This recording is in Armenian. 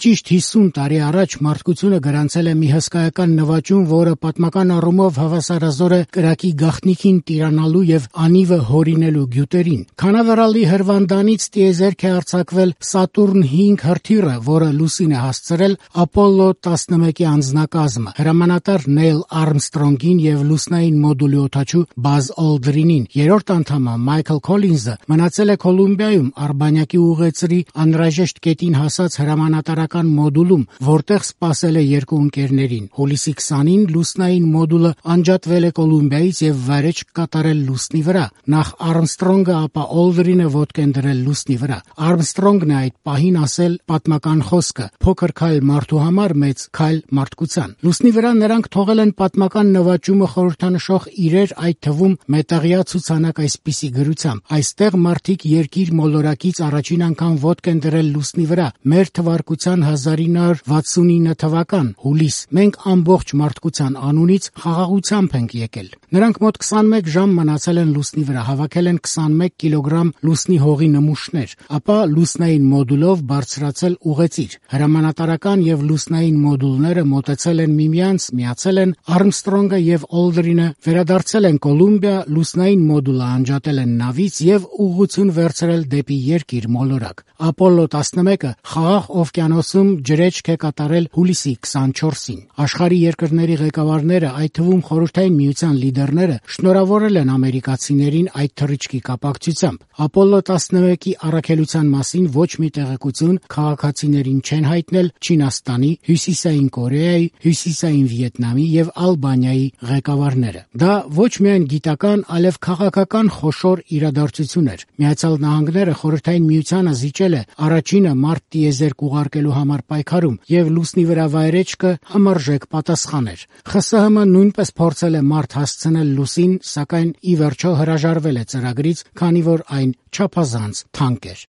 Ճիշտ 50 տարի առաջ մարդկությունը գրանցել է մի հսկայական նվաճում, որը պատմական առումով հավասարազոր է կրակի գաղտնիքին տիրանալու եւ անիվը հորինելու գյուտերին։ Քանավերալի հրվանդանից տիեզերք է արձակվել Սատուրն 5 հրթիռը, որը լուսին է հասցրել Ապոլլո 11-ի անձնակազմը, հրամանատար Նեյլ Արմստրոնգին եւ լուսնային մոդուլի օդաչու Բազ Օլդրինին։ Երրորդ անդամը Մայքլ Քոլինզը մնացել է Կոլումբիայում Արբանյակի ուղեծրի անհրաժեշտ կետին հասած հրամանատարական մոդուլում, որտեղ սպասել է երկու ընկերներին։ Հուլիսի 20-ին լուսնային մոդուլը անջատվել է Կոլումբիայից եւ վայրէջք կատարել լուսնի վրա։ Նախ Արմստրոնգը, ապա Օլդրինը ոտք են դրել լուսնի վրա։ Արմստրոնգն է այդ պահին ասել պատմական խոսքը. «Փոքր քայլ մարդու համար, մեծ քայլ մարդկության»։ Լուսնի վրա նրանք թողել են պատմական նվաճումը խորհրդանշող իրեր, այդ թվում մետաղյա ցուցանակ այսպիսի գրությամբ. «Այստեղ մարդիկ երկիր մոլորակից առաջին անգամ ոտք են դրել լուսնի վրա, մեր թվարկության 1969 թվական, հուլիս։ Մենք ամբողջ մարդկության անունից խաղաղությամբ ենք եկել»։ Նրանք մոտ 21 ժամ մնացել են լուսնի վրա, հավաքել են 21 կիլոգրամ լուսնի հողի նմուշներ, ապա լուսնային մոդուլով բարձրացել ուղեծիր։ Հրամանատարական եւ լուսնային մոդուլները մոտեցել են միմյանց, միացել են, Արմստրոնգը եւ Օլդրինը վերադարձել են Կոլումբիա, լուսնային մոդուլը անջատել են նավից եւ ուղղություն վերցրել դեպի երկիր մոլորակ։ Ապոլլո 11-ը Խաղաղ օվկիանոսում ջրեջք է կատարել հուլիսի 24-ին։ Աշխարհի երկրների ղեկավարները, այդ թվում Խորհրդային Միության լիդերները, շնորհավորել են ամերիկացիներին այդ թռիչքի կապակցությամբ։ Ապոլլո 11-ի առաքելության մասին ոչ մի տեղեկություն քաղաքացիներին չեն հայտնել Չինաստանի, Հյուսիսային Կորեայի, Հյուսիսային Վիետնամի եւ Ալբանիայի ղեկավարները։ Դա ոչ միայն գիտական, այլև քաղաքական խոշոր իրադարձություն էր։ Միացյալ Նահանգները Խորհրդային Միությանը զիջել է առաջինը մարդ տիեզերք ուղարկելու համար պայքարում եւ լուսնի վրա վայրեջքը համարժեք պատասխան էր։ ԽՍՀՄ նույնպես փորձել է մարդ հասցնել լուսին, սակայն ի վերջո հրաժարվել է ծրագրից, քանի որ այն չափազանց թանկ էր։